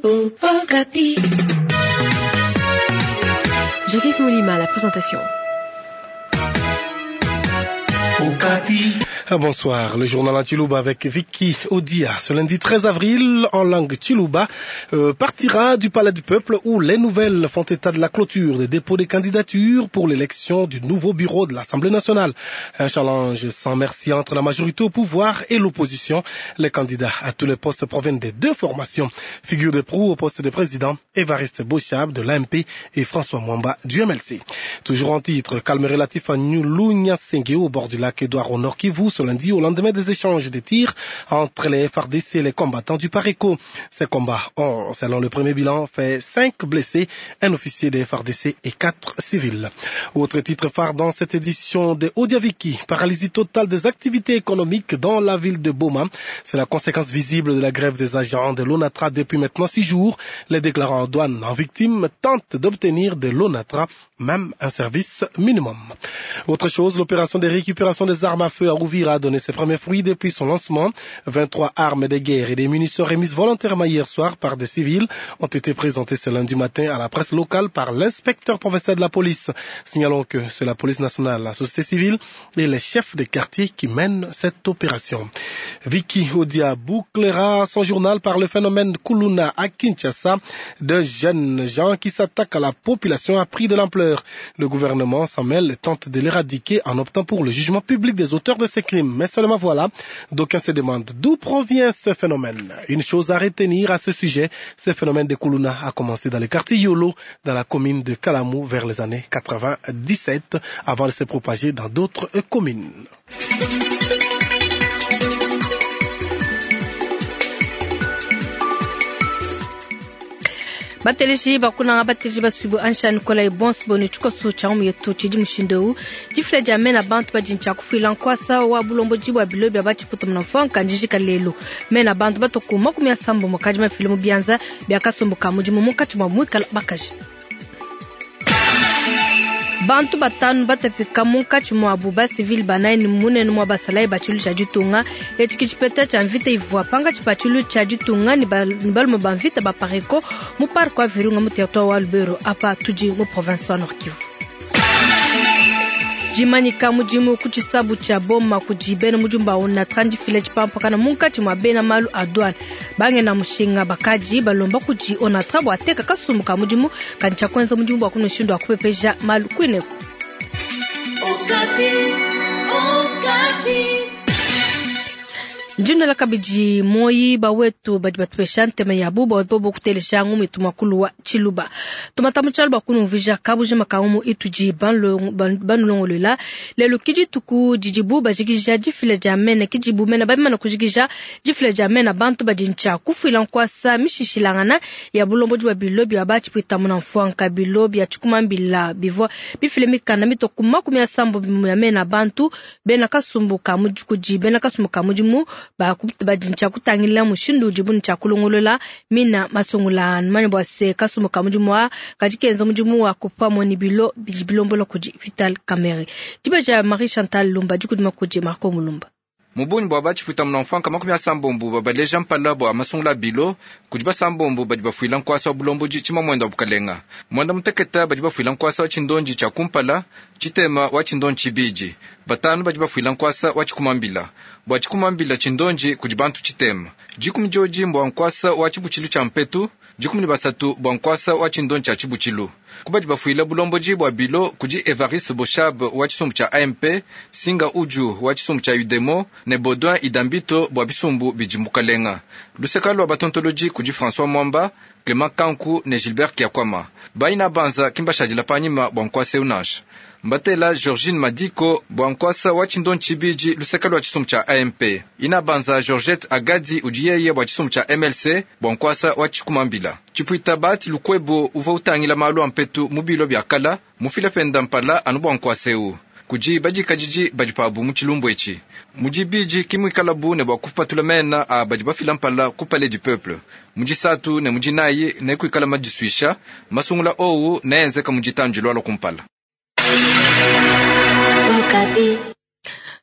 Okapi. Jacques Molima, la présentation. Bonsoir, le journal en Tshiluba avec Vicky Odia. Ce lundi 13 avril, en langue Tshiluba, partira du Palais du Peuple où les nouvelles font état de la clôture des dépôts des candidatures pour l'élection du nouveau bureau de l'Assemblée nationale. Un challenge sans merci entre la majorité au pouvoir et l'opposition. Les candidats à tous les postes proviennent des deux formations. Figure de proue au poste de président, Évariste Boshab de l'AMP et François Mwamba du MLC. Toujours en titre, calme relatif à Nyulu-Nyasenge au bord du lac Édouard au Nord Kivu ce lundi au lendemain des échanges des tirs entre les FARDC et les combattants du Pareco. Ces combats ont, selon le premier bilan, fait 5 blessés, un officier des FARDC et 4 civils. Autre titre phare dans cette édition de Odiaviki, paralysie totale des activités économiques dans la ville de Boma. C'est la conséquence visible de la grève des agents de l'ONATRA depuis maintenant 6 jours. Les déclarants en douane en victime tentent d'obtenir de l'ONATRA même un service minimum. Autre chose, l'opération de récupération des armes à feu à Uvira a donné ses premiers fruits depuis son lancement. 23 armes de guerre et des munitions remises volontairement hier soir par des civils ont été présentées ce lundi matin à la presse locale par l'inspecteur provincial de la police. Signalons que c'est la police nationale, la société civile et les chefs des quartiers qui mènent cette opération. Vicky Odia bouclera son journal par le phénomène Kuluna à Kinshasa, de jeunes gens qui s'attaquent à la population a pris de l'ampleur. Le gouvernement s'en mêle et tente de l'éradiquer en optant pour le jugement public des auteurs de ces crimes. Mais seulement voilà, d'aucuns se demandent d'où provient ce phénomène. Une chose à retenir à ce sujet, ce phénomène de Kuluna a commencé dans le quartier Yolo, dans la commune de Kalamu vers les années 97, avant de se propager dans d'autres communes. Bateleji bakunanga bateleji basubu ansha Nikolai Bons boni tshikoso tsha mu yetu tshidi mushindu difila dia mena bantu badi ntshia kufuila nkwasa wa bulomboji bwa bilo bya batshiputa muna mfonka njijika lelo mena bantu batoku 80 mukadi mafile mu bianza bya kasumbu ka mudimu munkatshi mwa mwikala bakaji. Bantu batanu batapika munkatshi mwabu ba civil banayi munene mwa basalayi ba tshilu tsha ditunga etshi tshipeta tsha mvita ivua panga tshipa tshilu tsha ditunga ni balume ba mvita ba Pareco mu parc wa Virunga mu territoire wa Lubero apa tudi mu province wa Nord Kivu. Jimanyika mudimu ku tshisabu tsha Boma kudi bena mujumba ONATRA ndifile tshipampakana munkatshi mwa bena malu a douane bangena mushinga bakaji balomba kudi ONATRA bua teka kasumbu ka mudimu kadi tshia kuenza mudimu bua kunushindu wa kupepeja malu kuineku. Okapi, Okapi. Ndinala kabidi moyi bawetu badi batupesha ntema yabu bobo kutelesha ngumu itu makulu wa Tshiluba. Tumata mutshalu bakunumvija kabuji makangumu itudi banulongolola lelo kidi tuku didibu bajikija difila dia mena kidibu mena bamana kujikija difila dia mena bantu badi ntshia kufuila nkwasa mishishilangana ya bulombodi bwa bilo bya batshipwita muna mfwanka bilo bya tshikumambila bivua bifile mikanda mitoku 80 ya mena bantu bena kasumbu ka mudikudi bena kasumbu ka mudimu badi ntshia kutangila mushindu udibu ntshia kulongolola mina masungula mane bua se kasumbu ka mudimu wa kadi kenza mudimu wa kupamua ni bilo bidi bilombola kudi Vital Kamerhe. Diba Marie Chantal Lumba dikudima kudi Marco Mulumba. Mubunyi bua batshipuita muna mfanka 80 babaleja mpala bua masungula bilo kudi basambombo badi bafuila nkwasa wa bulombodi tshima mwenda wa bukalenga mwenda muteketa badi bafuila nkwasa wa tshindonji tshia kumpala tshitema wa tshindonji tshibidi batanu badi bafuila nkwasa wa tshikumambila bua tshikumambila tshindonji kudi bantu tshitema 10 dioji mbua nkwasa wa tshibutshilu tshia mpetu 13 bua nkwasa wa tshindonji tshia tshibutshilu kubadi bafuila bulombodi bua bilo kudi Evariste Boshab wa tshisumbu tshia AMP Singa Uju wa tshisumbu tshia Udemo ne Baudouin Idambito bua bisumbu bidi mukalenga luseka lua batontoloji kudi François Mwamba Clement Kanku ne Gilbert Kiakwama baina banza kimbashadila panyima bua nkwasa eunasha mbatela Georgine Madiko bua nkwasa wa tshindonji tshibidi luseka lua tshisumbu tshia AMP ina banza Georgette Agadi udiyeye bua tshisumbu tshia MLC bua nkwasa wa tshikumambila tshipuita bati lukwebo uvua utangila malu a mpetu mu bilo bya kala mufila penda mpala anu bua nkwasa eu kudi badikadidi badi pabu mu tshilumbu etshi mudibidi kimwikalabu ne bua kupatula mena a badi bafila mpala ku palais du peuple mudisatu ne mudinayi ne kuikala madisuisha masungula owu neenzeka muditanji lwala kumpala. Okapi.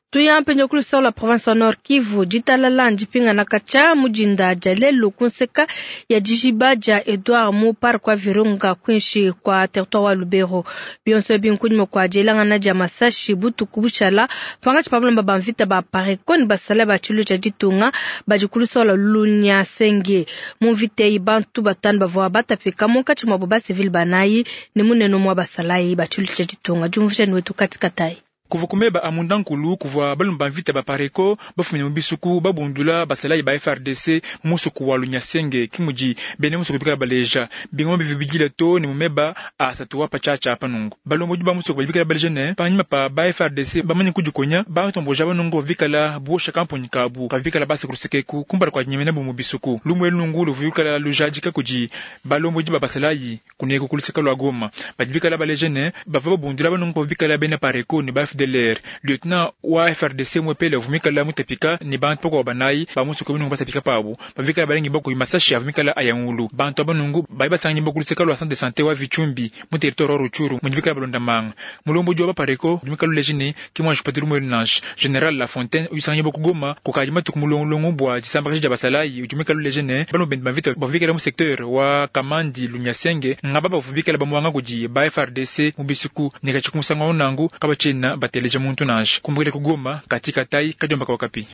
Tuya mpindieu ku luseke lua province wa Nord Kivu, ditalala ndipingana katshia mu dinda dia lelu ku nseka ya dijiba dia Edouard mu parc wa Virunga kuinshi kua territoire wa Lubero. Bionso ebi nkunyima kua dielangana dia masashi butuku bushala pankatshi pa balomba ba mvita ba Apareco ne basalayi ba tshiluilu tshia ditunga badi ku luseke lua Lunyasenge. Mu mvita eyi bantu batanu bavua batapika munkatshi muabu ba civil banayi ne munene umue wa basalayi ba tshiluilu tshia ditunga. Diumvuija ne wetu Kati Katayi. Kuvua ku meba a mundankulu kuvua balume ba mvita ba Apareco bafumine mu bisuku babundula basalayi ba FARDC mu musoko wa Lunyasenge, ke mudi bena musoko bikala baleja. Bingoma bivua bidila too ne mu meba a asatu wa patshiatshia apa nunku. Balombodi ba musoko badi bikala baleja ne, panyima pa ba FARDC bamane kudikonya, bantomboji aba nunku bavua bikala buosha kamponyi kabu kavua bikala base ku luseke eku kumpala kua dinyemenabu mu bisuku. Lumu elu nunku luvua lukala lujadika kudi balombodi ba basalayi. Kuneku ku luseke lua Goma, badi bikala baleja ne, bavua babundula banungu bavua bikala bena Apareco ne ba FDLR. Lieutenant wa FARDC umuepele uvua muikala mutapika ne bantu bakuabu banayi ba musoko eu nunku batapika pabu. Bavua bikala balengibua kudi masashi avua mikala aya ngulu. Bantu aba nunku badi basanganyibua ku luseke lua centre de sante wa Vitshumbi mu territoire wa Rutshuru mudi bikala balonda manga. Mulombodi wa ba Apareco udi muikala uleja ne, ki muanji kupeta lumu elu nansha. General Lafontaine udi usanganyibua ku Goma kukadi matuku mulongulongu bua disambakaja dia basalayi udi muikale uleja ne, balume bende ba mvita bavua bikale mu secteur wa Kamandi Lunyasenge ngaba bavua bikale bamuanga kudi ba FARDC mu bisuku ne katshia ku musangu au nanku kabatshiena bateleja muntu nansha. Kumbukila ku Goma, Kati Katayi, kadiomba ka Okapi.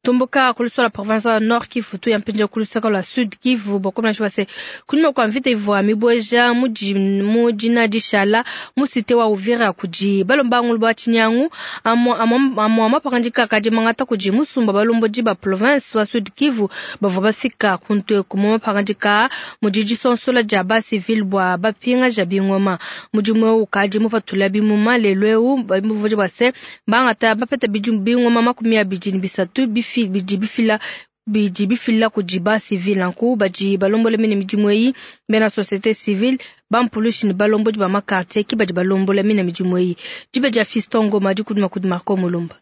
Tumbuka ku luseke lua province wa Nord Kivu tuya mpindieu ku luseke lua Sud Kivu bua kumanya se kunyima kua mvita ivua mibueja mu dina dishala mu cite wa Uvira kudi balomba ngulu ba tshinyangu amua mapangadika akadi mangata kudi musumba balombodi ba province wa Sud Kivu bavua bafika kuntu eku mu mapangadika mudi disonsola dia ba civil bua bapingaja bingoma mudimu eu ukadi mupatula bimuma lelu eu bua se bangata bapeta bingoma 23 bidi bifila bidi bifila kudi ba civil nanku badi balombola mine midimu eyi bena société civile bampulushi ne balombodi ba makartier ki badi balombola mine midimu eyi diba dia Fiston Ngoma dikudima kudi Marco Mulumba.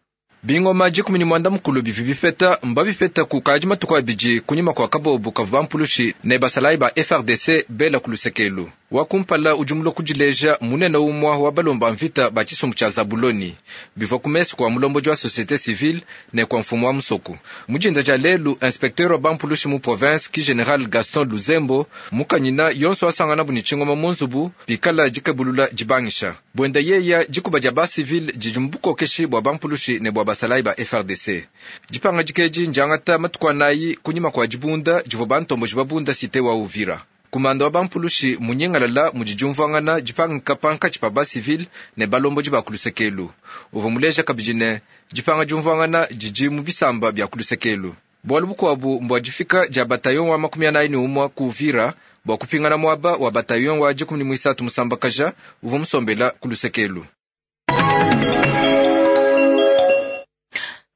Bingoma 19 bivua bipeta mbabipeta kukadi matuku abidi kunyima kua kabobu kavua bampulushi ne basalayi ba FARDC bela ku lusekelu. Wa kumpala udi mulue kudileja munene umue wa balomba mvita ba tshisumbu tshia Zabuloni bivua ku mesu kua mulombodi wa société civile ne kua mfumu wa musoko. Mu dinda dia lelu, inspecteur wa bampulushi mu province ki general Gaston Luzembo mukanyina yonso wasanganabu ne tshingoma mu nzubu pikala dikebulula dibangisha. Buenda yeya dikuba dia ba civile didi mu bukokeshi bua bampulushi ne bua basalayi ba FARDC. Dipangadika edi ndiangata matuku anayi kunyima kua dibunda divua bantomboji babunda cité wa Uvira. Kumanda wa bampulushi munyingalala mudi diumvuangana dipangika pankatshi pa ba civile ne balombodi ba ku lusekelu. Uvua muleja kabidi ne dipanga diumvuangana didi mu bisamba bia ku lusekelu. Bualu bukuabu mbua difika dia bataillon wa 41 ku Uvira bua kupingana muaba wa bataillon wa 13 musambakaja uvua musombela ku lusekelu.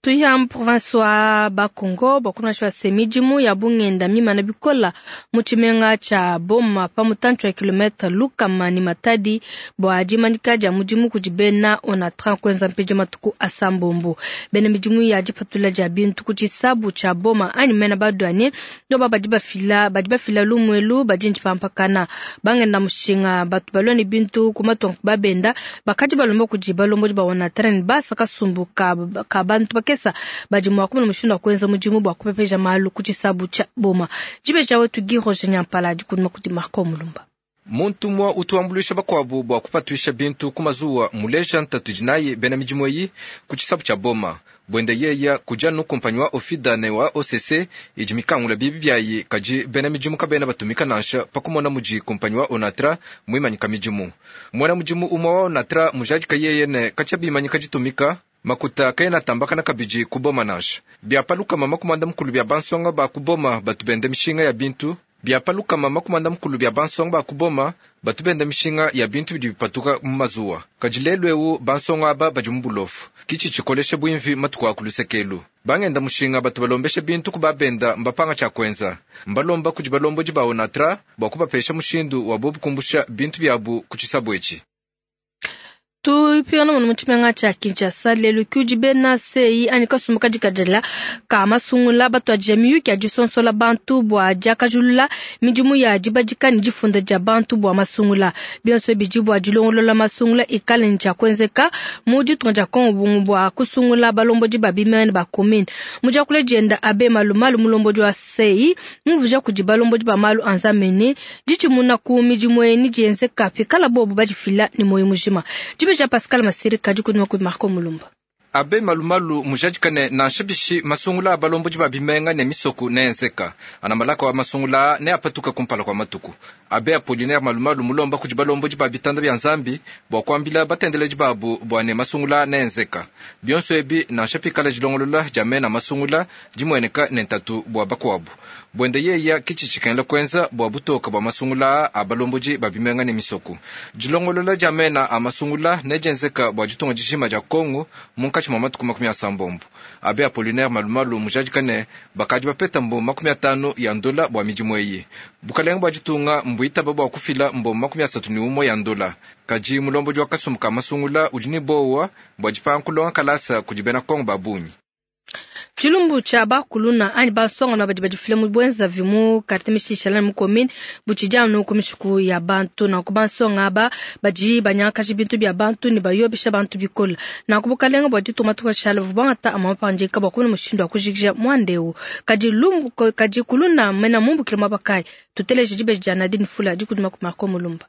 Tuya mu province wa Bakongo bua se midimu ya bungenda mimana bikola mu tshimenga tshia Boma pa mutantshi wa kilomètre lukama ne Matadi bua dimanyika dia mudimu kudi bena Onatra kuenza mpindieu matuku asambombo. Bena midimu ya dipatula dia bintu ku tshisabu tshia Boma anyi mena badouanier ndoba badi bafila lumuelu badi ndipampakana bangenda mushinga batu balua ne bintu ku matongo babenda bakadi balomba kudi balombodi ba Onatra ne basa kasumbu ka bantu bakesa badi mua kumona mushindu wa kuenza mudimu bua kupepeja malu ku tshisabu tshia Boma. Dibeja wetu Guy Roger Nyampala dikudima kudi Marco Mulumba. Muntu mwa utuambuluisha bakuabu bua kupatuisha bintu ku mazuwa muleja ntatu dinayi bena midimu eyi ku tshisabu tshia Boma. Buenda yeya kudia nu kumpanyi wa Ofida ne wa OCC idi mikangula bibi biayi kadi bena midimu kabena batumika nansha pa kumona mudi kumpanyi wa Onatra muimanyika midimu. Muena mudimu umwe wa Onatra mujadika yeye ne katshia bimanyika ditumika makuta kaena tambakana kabidi ku Boma nansha. Bia palukama makumanda mukulu bia bansonga ba ku Boma batu benda mishinga ya bintu. Bia palukama makumanda mukulu bia bansonga ba ku Boma batu benda mishinga ya bintu bidi bipatuka mu mazuwa. Kadi lelu eu bansonga aba badi mu bulofu. Kitshi tshikolesha buimvi matuku a ku lusekelu. Bangenda mushinga batu balombesha bintu ku babenda mbapanga tshia kuenza. Mbalomba kudi balombodi ba Onatra bua kubapesha mushindu wa bobu kumbusha bintu biabu ku tshisabu etshi. Tupingana muno mu tshimenga tshia Kinshasa lelu kudi bena CEI anyi kasumbu kadikadila ka masungula batuadija miyuki ya disonsola bantu bua diakajulula midimu ya dibadika ne difunda dia bantu bua masungula. Bionso bidi bua dilongolola masungula ikale ne tshia kuenzeka mu ditunga dia Kongo bua kusungula balombodi ba bimenga ne ba commune. Mu diakula dienda Abe Malumalu mulombodi wa CEI mumvuija kudi balombodi ba malu a Nzambi ne ditshimuna ku midimu eyi ne dienzeka pikala bobu badifila ne muoyo mujima. Dibeja Pascal Masirika dikudima kudi Marco Mulumba. Abe Malumalu mujadika ne nansha bishi masungula a balombodi ba bimenga ne misoko neenzeka. Anamalaka wa masungula ne apatuka kumpala kwa matuku. Abe Apollinaire Malumalu mulomba kudi balombodi ba bitanda bya Nzambi bua kuambila batendeledi babu bua ne masungula neenzeka. Bionso ebi nansha pikala dilongolola dia mena masungula dimueneka ne ntatu bua bakuabu. Buende yeya kitshi tshikengela kuenza bua butoka bua masungula a balombodi ba bimenga ne misoko. Dilongolola dia mena a masungula nedienzeka bua ditunga dijima dia Kongo munkatshi mwa matuku 36. Abe Apollinaire Malumalu mujadika ne bakadi bapeta mbo 50 ya ndola bua midimu eyi. Bukalenga bua ditunga mbuitaba bua kufila mbo 31 ya ndola. Kadi mulombodi wa kasumbu ka masungula udi ne bowa bua dipanga kulonga kalasa kudi bena Kongo ba bungi. Tshilumbu tshia bakuluna anyi bansonga badi badifila mu bwenzavi mu quartier mishishala mu commune butshidi anu ku mishiku ya bantu. Nanku bansonga aba badi banyangakaja bintu bia bantu ne bayobesha bantu bikole. Nanku bukalenga bua ditunga tukashala buvua bangata amue mapangadika bua kumona mushindu wa kujikija muanda eu. Kadi lumbu kadi kuluna mena mumbukile muaba kayi? Tuteleje dibeji dia Nadine Fula dikudima ku Marco Mulumba.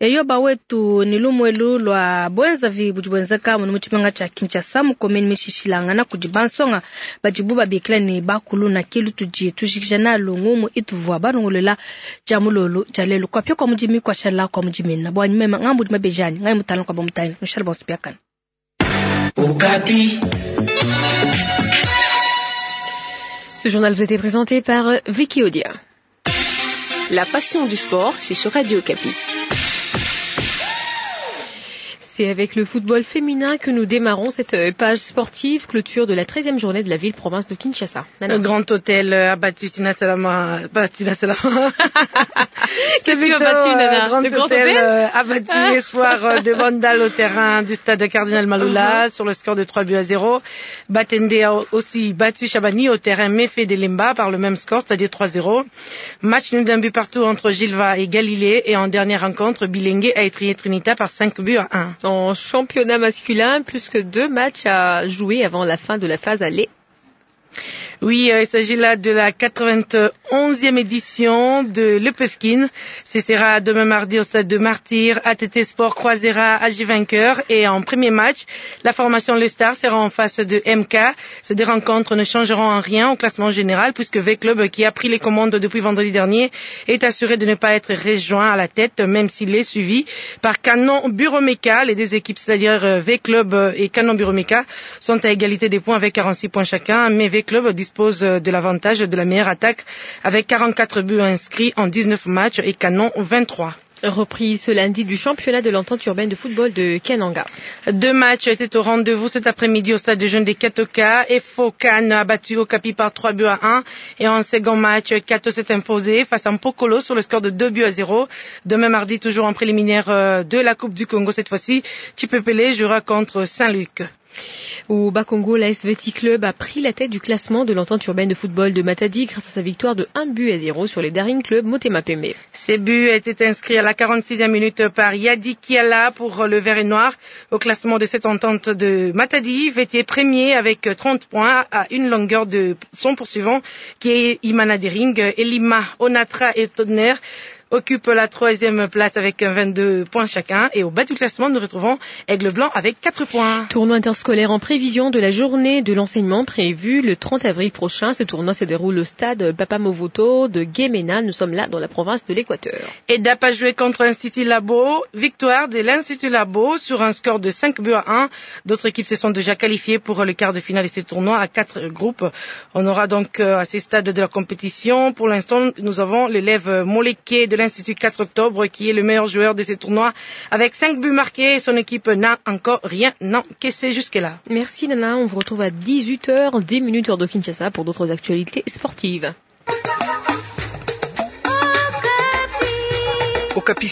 Eyo bawetu ni lumwelu lwa bwenzavi budi bwenzeka muno mu tshimenga tshia Kinshasa mu commune mishishilangana kudi bansonga badibu babikila ne bakuluna kilu tudi tujikija nalu ngumu ituvua balongolola dia mulolo dia lelu kwapia kwa mudimi kwashala kwa mudimina bwa nyuma ngambu di mabejani ngai mutala kwa bamutani mushala bonso biakana. Okapi. Ce journal vous a été présenté par Vicky Odia. La passion du sport, c'est sur Radio Okapi. C'est avec le football féminin que nous démarrons cette page sportive, clôture de la 13e journée de la ville-province de Kinshasa. Nana. Le Grand Hôtel a battu Tina Salama. Pas Tina Salama. Qu'est-ce que tu as battu, Nana? Grand Le Grand Hôtel, Hôtel a battu Espoir de Bandal au terrain du stade Cardinal Malula sur le score de 3-0. Batende a aussi battu Chabani au terrain Méfé de Lemba par le même score, c'est-à-dire 3-0. Match nul d'un but partout entre Gilva et Galilée et en dernière rencontre, Bilengue a étrillé Trinita par 5-1. En championnat masculin, plus que 2 matchs à jouer avant la fin de la phase aller. Oui, il s'agit là de la 91e édition de l'EPFKIN. Ce sera demain mardi au stade de Martyrs. ATT Sport croisera AJ Vainqueur et en premier match, la formation Le Star sera en face de MK. Ces deux rencontres ne changeront en rien au classement général puisque V Club, qui a pris les commandes depuis vendredi dernier, est assuré de ne pas être rejoint à la tête, même s'il est suivi par Canon Buromeka. Les deux équipes, c'est-à-dire V Club et Canon Buromeka, sont à égalité des points avec 46 points chacun, mais V Club dispose de l'avantage de la meilleure attaque avec 44 buts inscrits en 19 matchs et Canon 23. Reprise ce lundi du championnat de l'entente urbaine de football de Kananga. 2 matchs étaient au rendez-vous cet après-midi au stade de jeunes des Katoka. Efo Kan a battu Okapi par 3-1 et en second match, Kato s'est imposé face à Mpokolo sur le score de 2-0. Demain mardi, toujours en préliminaire de la Coupe du Congo, cette fois-ci, Chipepele jouera contre Saint-Luc. Au Bas-Congo, la SVT Club a pris la tête du classement de l'entente urbaine de football de Matadi grâce à sa victoire de 1-0 sur les Daring Club Motema Pembe. Ces buts étaient inscrits à la 46e minute par Yadi Kiala pour le Vert et Noir. Au classement de cette entente de Matadi, Vétier premier avec 30 points à une longueur de son poursuivant qui est Imana Dering. Elima, Onatra et Tonnerre occupe la 3e place avec 22 points chacun. Et au bas du classement, nous retrouvons Aigle Blanc avec 4 points. Tournoi interscolaire en prévision de la journée de l'enseignement prévue le 30 avril prochain. Ce tournoi se déroule au stade Papa Movoto de Gemena. Nous sommes là dans la province de l'Équateur. EDAP a joué contre l'Institut Labo. Victoire de l'Institut Labo sur un score de 5-1. D'autres équipes se sont déjà qualifiées pour le quart de finale de ce tournoi à 4 groupes. On aura donc à ces stades de la compétition. Pour l'instant, nous avons l'élève Moleke de l'Institut 4 octobre qui est le meilleur joueur de ce tournoi avec 5 buts marqués. Son équipe n'a encore rien encaissé jusque-là. Merci Nana, on vous retrouve à dix-huit heures, dix minutes heure de Kinshasa pour d'autres actualités sportives. Okapi.